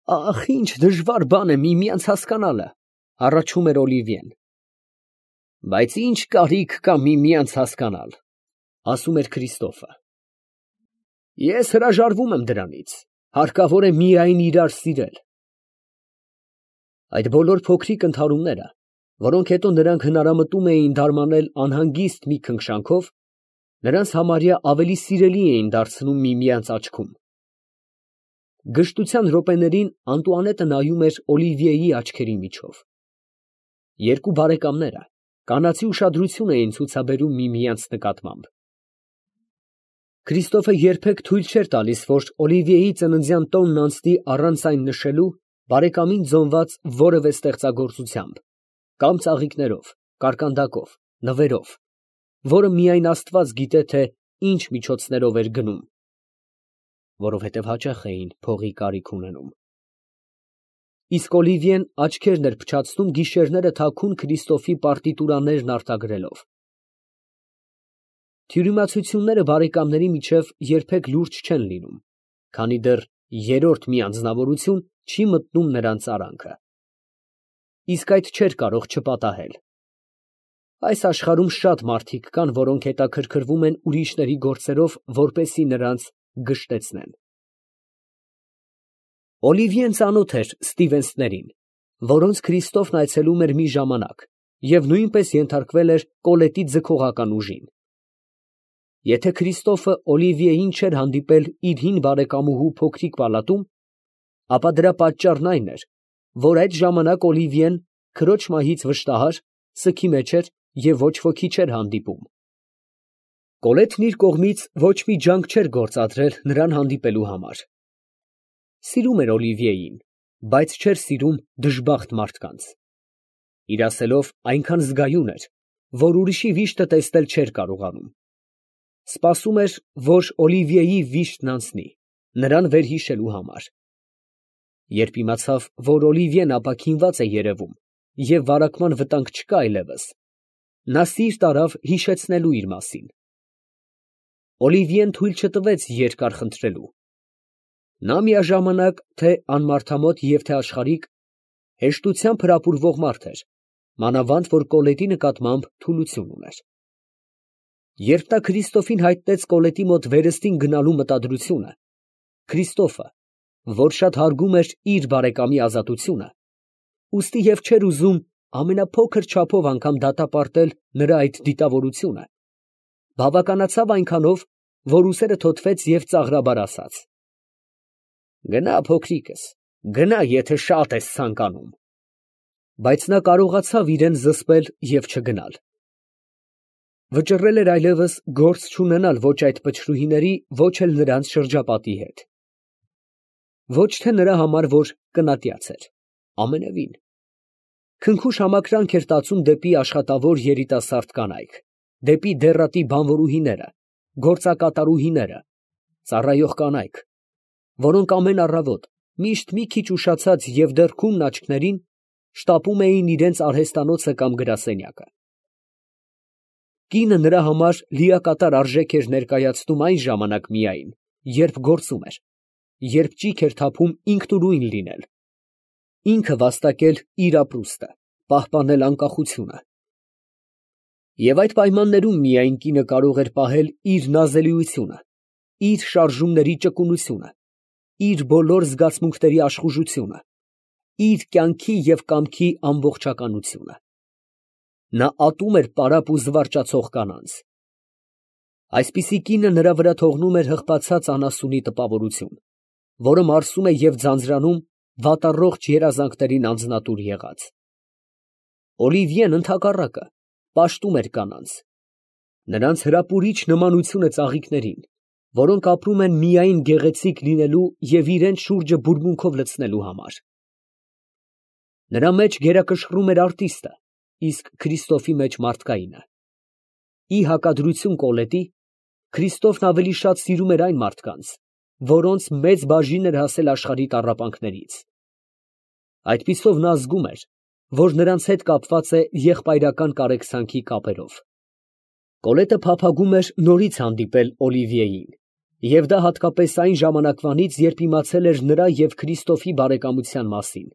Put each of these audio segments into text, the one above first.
Ախ, ինչ դժվար բան է միմյանց հասկանալը, առաջում էր Օլիվիեն։ Բայց ինչ կարիք կա միմյանց հասկանալ, ասում էր Քրիստոֆը։ Ես հրաժարվում եմ դրանից, հարկավոր է միայն իրար սիրել։ Այդ բոլոր փոքրիկ ընդհարումները, որոնք հետո նրանք հնարամտում էին դարմանել անհանգիստ մի քնքշանքով, նրանց համարյա ավելի սիրելի էին դարձնում միմյանց աչքում։ Գժտության րոպեներին Անտուանետը նայում էր Օլիվիեի աչքերի միջով։ Երկու բարեկամները կանացի ուշադրություն էին ցուցաբերում միմյանց նկատմամբ։ Քրիստոֆը երբեք թույլ չէր տալիս, որ Օլիվիեի ծննդյան տոնն անցնի առանց այն նշելու բարեկամին ձոնված որևէ ստեղծագործությամբ, կամ ծաղիկներով, կարկանդակով, նվերով, որը միայն Աստված գիտե, թե ինչ միջոցներով էր գնում, որովհետև հաճախ էին փողի կարիք ունենում։ Իսկ Օլիվիեն աչքերն էր փչացնում գիշերները թաքուն Քրիստոֆի պարտիտուրաներն արտագրելով։ Թյուրիմացությունները բարեկամների միջև երբեք լուրջ չեն լինում, քանի դեռ երրորդ մի անձնավորություն չի մտնում նրանց արանքը։ Իսկ այդ չէր կարող չպատահել։ Այս աշխարհում շատ մարդիկ կան, որոնք հետաքրքրվում են ուրիշների գործերով, որպեսզի նրանց գժտեցնեն։ Օլիվիեն ծանոթ էր Ստիվենսներին, որոնց Քրիստոֆն այցելում էր մի ժամանակ և նույնպես ենթարկվել էր Կոլետի ձգողական ուժին։ Եթե Քրիստոֆը Օլիվիեին չէր հանդիպել իր հին բարեկամուհու փոքրիկ պալատում, ապա դրա պատճառն այն էր, որ այդ ժամանակ Օլիվիեն քրոջ մահից վշտահար, սգի մեջ էր և ոչ ոքի չէր հանդիպում։ Կոլետն իր կողմից ոչ մի ջանք չէր գործադրել նրան հանդիպելու համար։ Սիրում էր Օլիվիեին, բայց չէր սիրում դժբախտ մարդկանց։ Իր ասելով այնքան զգայուն էր, որ ուրիշի վիշտը տեսնել չէր կարողանում։ Սպասում էր, որ Օլիվիեի վիշտն անցնի, նրան վերհիշելու համար։ Երբ իմացավ, որ Օլիվիեն ապաքինված է երևում և վարակման վտանգ չկա այլևս, նա սիրտ արավ հիշեցնելու իր մասին։ Օլիվիեն թույլ չտվեց երկար խնդրելու։ Նա միաժամանակ թե անմարդամոտ և թե աշխարհիկ, հեշտությամբ հրապուրվող մարդ էր, մանավանդ որ Կոլետի նկատմամբ թուլություն ուներ։ Երբ նա Քրիստոֆին հայտնեց Կոլետի մոտ վերստին գնալու մտադրությունը, Քրիստոֆը, որ շատ հարգում էր իր բարեկամի ազատությունը, ուստի և չէր ուզում ամենափոքր չափով անգամ դատապարտել նրա այդ դիտավորությունը, բավականացավ այնքանով, որ ուսերը թոթվեց և ծաղրաբար ասաց. «Գնա, փոքրիկս, գնա, եթե շատ ես ցանկանում»։ Բայց նա կարողացավ իրեն զսպել և չգնալ։ Վճռել էր այլևս գործ չունենալ ոչ այդ փչրուհիների, ոչ էլ նրանց շրջապատի հետ։ Ոչ թե նրա համար, որ կնատյաց էր, ամենևին։ Քնքուշ համակրանք էր տածում դեպի աշխատավոր երիտասարդ կանայք, դեպի դեռատի բանվորուհիները, գործակատարուհիները, ծառայող կանայք, որոնք ամեն առավոտ, միշտ մի քիչ ուշացած և դեռ քունն աչքներին, շտապում էին իրենց արհեստանոցը կամ գրասենյակը։ Կինը նրա համար լիակատար արժեք էր ներկայացնում այն ժամանակ միայն, երբ գործում էր, երբ ճիգ էր թափում ինքնուրույն լինել, ինքը վաստակել իր ապրուստը, պահպանել անկախությունը։ Եվ այդ պայմաններում միայն կինը կարող էր պահել իր նազելիությունը, իր շարժումների ճկունությունը, իր բոլոր զգացմունքների աշխուժությունը, իր կյանքի և կամքի ամբողջականությունը։ Նա ատում էր պարապ ու զվարճացող կանանց։ Այսպիսի կինը նրա վրա թողնում էր հղկացած անասունի տպավորություն, որը մարսում է և ձանձրանում վատառողջ երազանքներին անձնատուր եղած։ Օլիվիեն ընդհակառակը պաշտում էր կանանց։ Նրանց հրապուրիչ նմանությունը ծաղիկներին, որոնք ապրում են միայն գեղեցիկ լինելու և իրենց շուրջը բուրմունքով լցնելու համար։ Նրա մեջ գերակշռում էր արտիստը, իսկ Քրիստոֆի մեջ մարդկայինը։ Ի հակադրություն Կոլետի, Քրիստոֆն ավելի շատ սիրում էր այն մարդկանց, որոնց մեծ բաժին էր հասել աշխարհի տառապանքներից։ Այդպիսով նա զգում էր, որ նրանց հետ կապված է եղբայրական կարեկցանքի կապերով։ Կոլետը փափագում էր նորից հանդիպել Օլիվիեին Եվ դա հատկապես այն ժամանակվանից, երբ իմացել էր նրա և Քրիստոֆի բարեկամության մասին,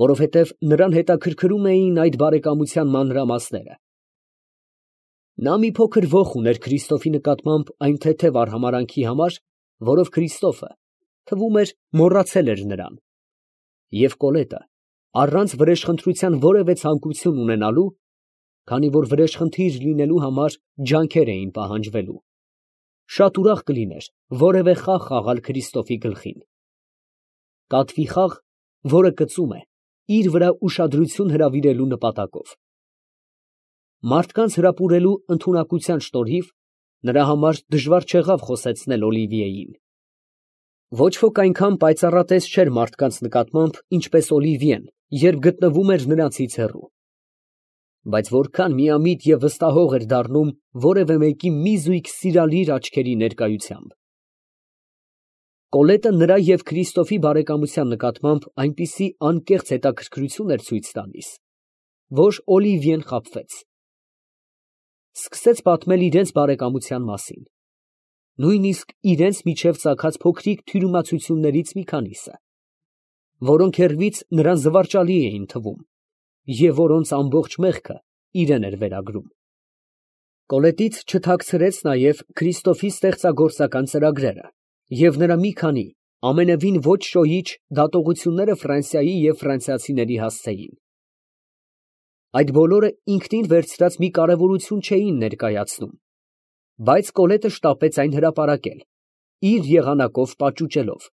որովհետև նրան հետաքրքրում էին այդ բարեկամության մանրամասները։ Նա մի փոքր ոխ ուներ Քրիստոֆի նկատմամբ այն թեթև արհամարհանքի համար, որով Քրիստոֆը, թվում էր, մոռացել էր նրան, և Կոլետը, առանց վրեժխնդրության որևէ ցանկություն ունենալու, քանի որ վրեժխնդիր լինելու համար ջանքեր էին պահանջվելու, շատ ուրախ կլիներ որևէ խաղ խաղալ Քրիստոֆի գլխին։ Կատվի խաղ, որը կծում է, իր վրա ուշադրություն հրավիրելու նպատակով։ Մարդկանց հրապուրելու ընդունակության շնորհիվ նրա համար դժվար չեղավ խոսեցնել Օլիվիեին։ Ոչ ոք այնքան պայծառատես չէր մարդկանց նկատմամբ, ինչպես Օլիվիեն, երբ գտնվում էր նրանցից հեռու։ Բայց որքան միամիտ և վստահող էր դառնում որևէ մեկի մի զույգ սիրալիր աչքերի ներկայությամբ։ Կոլետը նրա և Քրիստոֆի բարեկամության նկատմամբ այնպիսի անկեղծ հետաքրքրություն էր ցույց տալիս, որ Օլիվիեն խաբվեց։ Սկսեց պատմել իրենց բարեկամության մասին, նույնիսկ իրենց միջև ծագած փոքրիկ թյուրիմացություններից մի քանիսը, որոնք հեռվից նրան զվարճալի էին թվում և որոնց ամբողջ մեղքը իրեն էր վերագրում։ Կոլետից չթաքցրեց նաև Քրիստոֆի ստեղծագործական ծրագրերը և նրա մի քանի ամենևին ոչ շոյիչ դատողությունները Ֆրանսիայի և ֆրանսիացիների հասցեին։ Այդ բոլորը ինքնին վերցրած մի կարևորություն չէին ներկայացնում, բայց Կոլետը շտապեց այն հրապարակել, իր եղանակով պաճուճելով,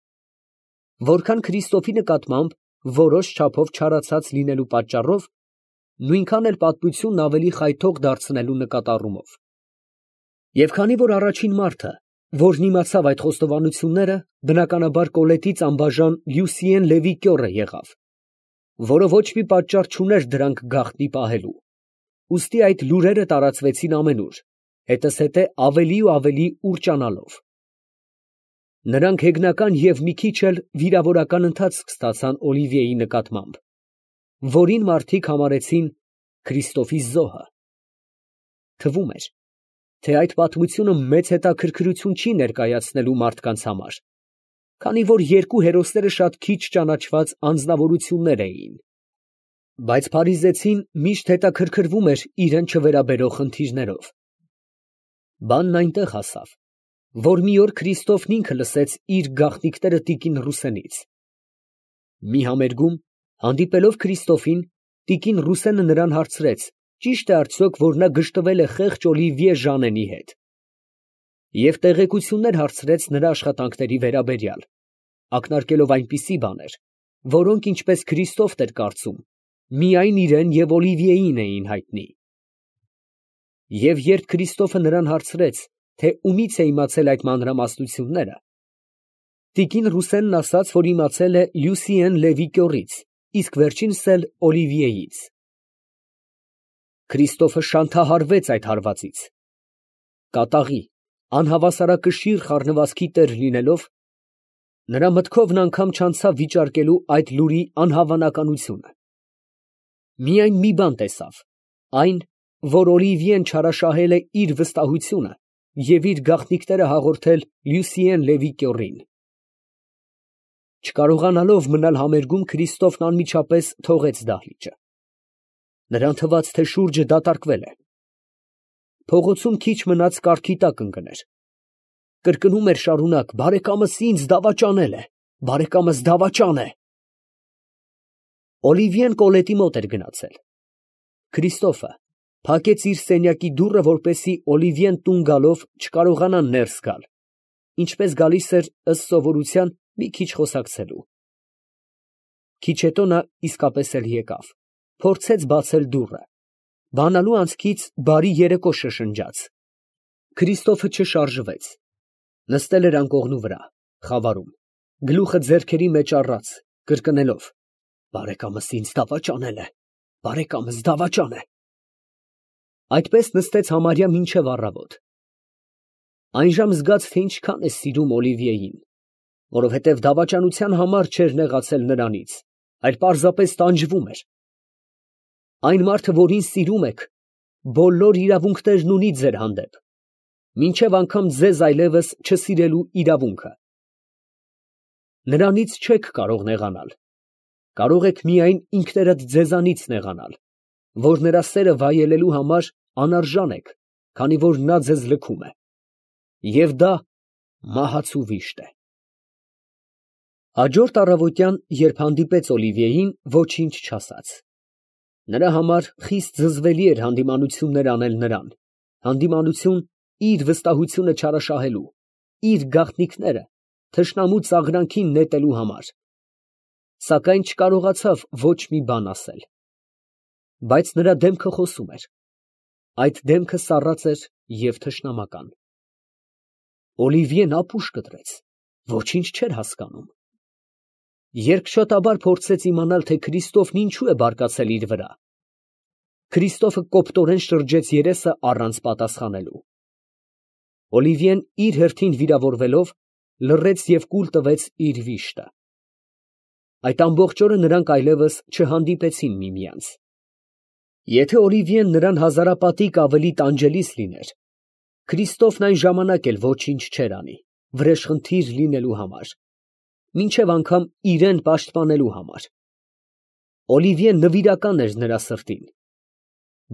որքան Քրիստոֆի նկատմամբ որոշ չափով չարացած լինելու պատճառով, նույնքան էլ պատմությունն ավելի խայթող դարձնելու նկատառումով։ Եվ քանի որ առաջին մարդը, որն իմացավ այդ խոստովանությունները, բնականաբար Կոլետից անբաժան Լյուսիեն Լևի կյոռը եղավ, որը ոչ մի պատճառ չուներ դրանք գաղտնի պահելու, ուստի այդ լուրերը տարածվեցին ամենուր, հետզհետե ավելի ու ավելի ուռճանալով։ Նրանք հեգնական և մի քիչ էլ վիրավորական ընթացք ստացան Օլիվիեի նկատմամբ, որին մարդիկ համարեցին Քրիստոֆի զոհը։ Թվում էր, թե այդ պատմությունը մեծ հետաքրքրություն չի ներկայացնելու մարդկանց համար, քանի որ երկու հերոսները շատ քիչ ճանաչված անձնավորություններ էին։ Բայց փարիզեցին միշտ հետաքրքրվում էր իրեն չվերաբերող խնդիրներով։ Բանն այնտեղ հասավ, որ մի օր Քրիստոֆն ինքը լսեց իր գաղտնիքները տիկին Ռուսենից։ Մի համերգում, հանդիպելով Քրիստոֆին, տիկին Ռուսենը նրան հարցրեց, ճի՞շտ է արդյոք, որ նա գժտվել է խեղճ Օլիվիե Ժանենի հետ, և տեղեկություններ հարցրեց նրա աշխատանքների վերաբերյալ, ակնարկելով այնպիսի բաներ, որոնք, ինչպես Քրիստոֆն էր կարծում, միայն իրան և Օլիվիեին էին հայտնի։ Եվ երբ Քրիստոֆը նրան հարցրեց, թե ումից է իմացել այդ մանրամասնությունները, տիկին Ռուսենն ասաց, որ իմացել է Լյուսիեն Լևի կյոռից, իսկ վերջինս էլ Օլիվիեից։ Քրիստոֆը շանթահարվեց այդ հարվածից։ Կատաղի, անհավասարակշիռ խառնվածքի տեր լինելով, նրա մտքովն անգամ չանցավ վիճարկելու այդ լուրի անհավանականությունը։ Միայն մի բան տեսավ, այն, որ Օլիվիեն չարաշահել է իր վստահությունը և իր գաղտնիքները հաղորդել Լյուսիեն Լևի կյոռին։ Չկարողանալով մնալ համերգում, Քրիստոֆն անմիջապես թողեց դահլիճը։ Նրան թվաց, թե շուրջը դատարկվել է։ Փողոցում քիչ մնաց կառքի տակ ընկներ։ Կրկնում էր շարունակ. «Բարեկամս ինձ դավաճանել է, բարեկամս դավաճան է»։ Օլիվիեն Կոլետի մոտ էր գնացել։ Քրիստոֆը փակեց իր սենյակի դուռը, որպեսզի Օլիվիեն տուն գալով չկարողանա ներս գալ, ինչպես գալիս էր ըստ սովորության մի քիչ խոսակցելու։ Քիչ հետո նա իսկապես էլ եկավ, փորձեց բացել դուռը, բանալու անցքից բարի երեկո շշնջաց։ Քրիստոֆը չշարժվեց, նստել էր անկողնու վրա, խավարում, գլուխը ձեռքերի մեջ առած, կրկնելով. «Բարեկամս ինձ դավաճանել է, բարեկամս դավաճան է»։ Այդպես նստեց համարյա մինչև առավոտ։ Այնժամ զգաց, թե ինչքան է սիրում Օլիվիեին, որովհետև դավաճանության համար չէր նեղացել նրանից, այլ պարզապես տանջվում էր։ Այն մարդը, որին սիրում եք, բոլոր իրավունքներն ունի ձեր հանդեպ, մինչև անգամ ձեզ այլևս չսիրելու իրավունքը։ Նրանից չեք կարող նեղանալ, կարող եք միայն ինքներդ ձեզանից նեղանալ, որ նրա սերը վայելելու համար անարժան եք, քանի որ նա ձեզ լքում է, և դա մահացու վիշտ է։ Հաջորդ առավոտյան, երբ հանդիպեց Օլիվիեին, ոչինչ չասաց։ Նրա համար խիստ զզվելի էր հանդիմանություններ անել նրան, հանդիմանություն իր վստահությունը չարաշահելու, իր գաղտնիքները թշնամու ծաղրանքին նետելու համար, սակայն չկարողացավ ոչ մի բան ասել։ Բայց նրա դեմքը խոսում էր, այդ դեմքը սառած էր և թշնամական։ Օլիվիեն ապուշ կտրեց, ոչինչ չէր հասկանում։ Երկշատաբար փորձեց իմանալ, թե Քրիստոֆն ինչու է բարկացել իր վրա։ Քրիստոֆը կոպտորեն շրջեց երեսը առանց պատասխանելու։ Օլիվիեն իր հերթին վիրավորվելով լռեց և կուլ տվեց իր վիշտը։ Այդ ամբողջ օրը նրանք այլևս չհանդիպեցին միմյանց։ Եթե Օլիվիեն նրան հազարապատիկ ավելի տանջելիս լիներ, Քրիստոֆն այն ժամանակ էլ ոչինչ չէր անի, վրեժխնդիր լինելու համար, մինչև անգամ իրեն պաշտպանելու համար։ Օլիվիեն նվիրական էր նրա սրտին,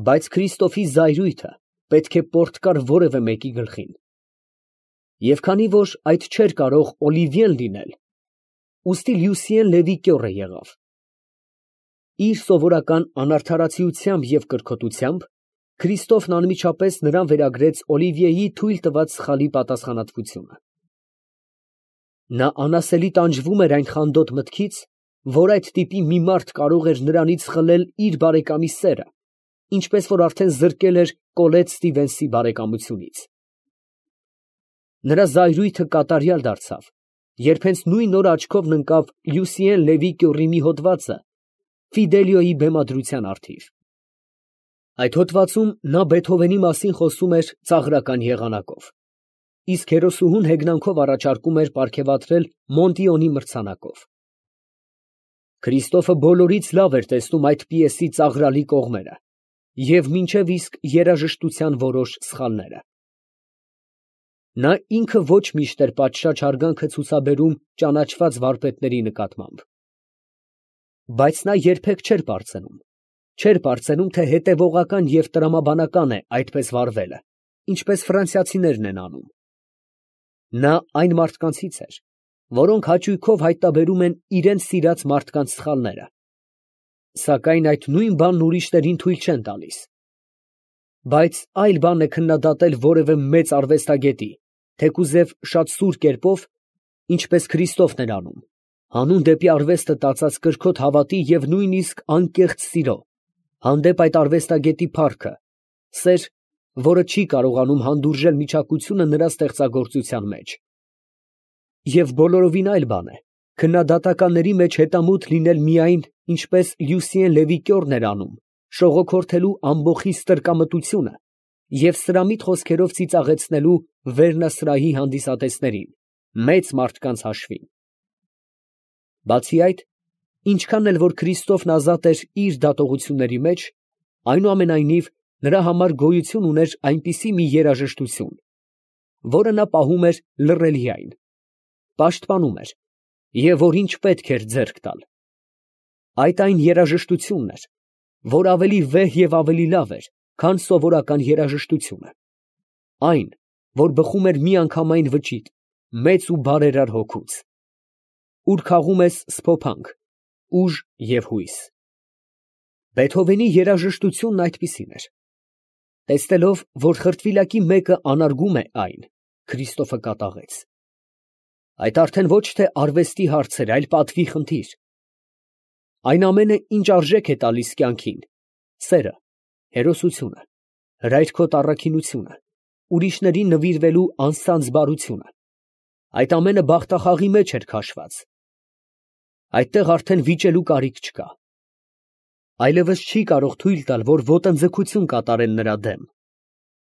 բայց Քրիստոֆի զայրույթը պետք է պորտկար որևէ մեկի գլխին։ Եվ քանի որ այդ չէր կարող Օլիվիեն լինել, ուստի Լյուսիեն Լևի կյոռը եղավ։ Իր սովորական անարդարացիությամբ և կրքոտությամբ Քրիստոֆն անմիջապես նրան վերագրեց Օլիվիեի թույլ տված սխալի պատասխանատվությունը։ Նա անասելի տանջվում էր այն խանդոտ մտքից, որ այդ տիպի մի մարդ կարող էր նրանից խլել իր բարեկամի սերը, ինչպես որ արդեն զրկել էր Կոլետ Ստիվենսի բարեկամությունից։ Նրա զայրույթը կատարյալ դարձավ, երբ հենց նույն օր աչքովն ընկավ Լյուսիեն Լևի կյոռի մի հոդվածը Ֆիդելիոյի բեմադրության առթիվ։ Այդ հոդվածում նա Բեթհովենի մասին խոսում էր ծաղրական եղանակով, իսկ հերոսուհուն հեգնանքով առաջարկում էր պարգևատրել Մոնտիոնի մրցանակով։ Քրիստոֆը բոլորից լավ էր տեսնում այդ պիեսի ծաղրալի կողմերը և մինչև իսկ երաժշտության որոշ սխալները։ Նա ինքը ոչ միշտ էր պատշաճ հարգանքը ցուցաբերում ճանաչված վարպետների նկատմամբ։ Բայց նա երբեք չէր պարծենում, թե հետևողական և տրամաբանական է այդպես վարվելը, ինչպես ֆրանսիացիներն են անում։ Նա այն մարդկանցից էր, որոնք հաճույքով հայտնաբերում են իրենց սիրած մարդկանց սխալները, սակայն այդ նույն բանն ուրիշներին թույլ չեն տալիս։ Բայց այլ բան է քննադատել որևէ մեծ արվեստագետի, թեկուզև շատ սուր կերպով, ինչպես Քրիստոֆն էր անում, հանուն դեպի արվեստը տածած կրքոտ հավատի և նույնիսկ անկեղծ սիրո, հանդեպ այդ արվեստագետի փառքը, սեր, որը չի կարողանում հանդուրժել միջակությունը նրա ստեղծագործության մեջ։ Եվ բոլորովին այլ բան է քննադատականների մեջ հետամուտ լինել միայն, ինչպես Լյուսիեն Լևի կյոռն էր անում, շողոքորթելու ամբոխի ստրկամտությունը և սրամիտ խոսքերով ծիծաղեցնելու վերնասրահի հանդիսատեսներին, մեծ մարդկանց հաշվին։ Բացի այդ, ինչքան էլ որ Քրիստոֆն ազատ էր իր դատողությունների մեջ, այնուամենայնիվ նրա համար գոյություն ուներ այնպիսի մի երաժշտություն, որը նա պահում էր լռելիայն, պաշտպանում էր և որ ինչ պետք էր ձեռք տալ։ Այդ այն երաժշտությունն էր, որ ավելի վեհ և ավելի լավ էր, քան սովորական երաժշտությունը, այն, որ բխում էր միանգամայն վճիտ, մեծ ու բարերար հոգուց, ուր քաղում ես սփոփանք, ուժ և հույս։ Բեթհովենի երաժշտությունն այդպիսին էր։ Տեսնելով, որ խրտվիլակի մեկը անարգում է այն, Քրիստոֆը կատաղեց. այդ արդեն ոչ թե արվեստի հարց էր, այլ պատվի խնդիր։ Այն ամենը, ինչ արժեք է տալիս կյանքին, սերը, հերոսությունը, հրայրքոտ առաքինությունը, ուրիշներին նվիրվելու անսանձ բարությունը, այդ ամենը բախտախաղի մեջ էր քաշված։ Այդտեղ արդեն վիճելու կարիք չկա։ Այլևս չի կարող թույլ տալ, որ ոտնձգություն կատարեն նրա դեմ,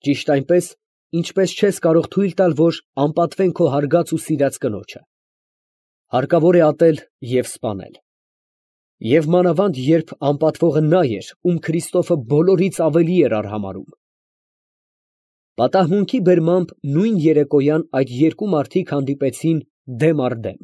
ճիշտ այնպես, ինչպես չես կարող թույլ տալ, որ անպատվեն քո հարգած ու սիրած կնոջը։ Հարկավոր է ատել և սպանել։ Եվ մանավանդ, երբ անպատվողը նա էր, ում Քրիստոֆը բոլորից ավելի էր արհամարհում։ Պատահմունքի բերմամբ նույն երեկոյան այդ երկու մարդիկ հանդիպեցին դեմ առ դեմ։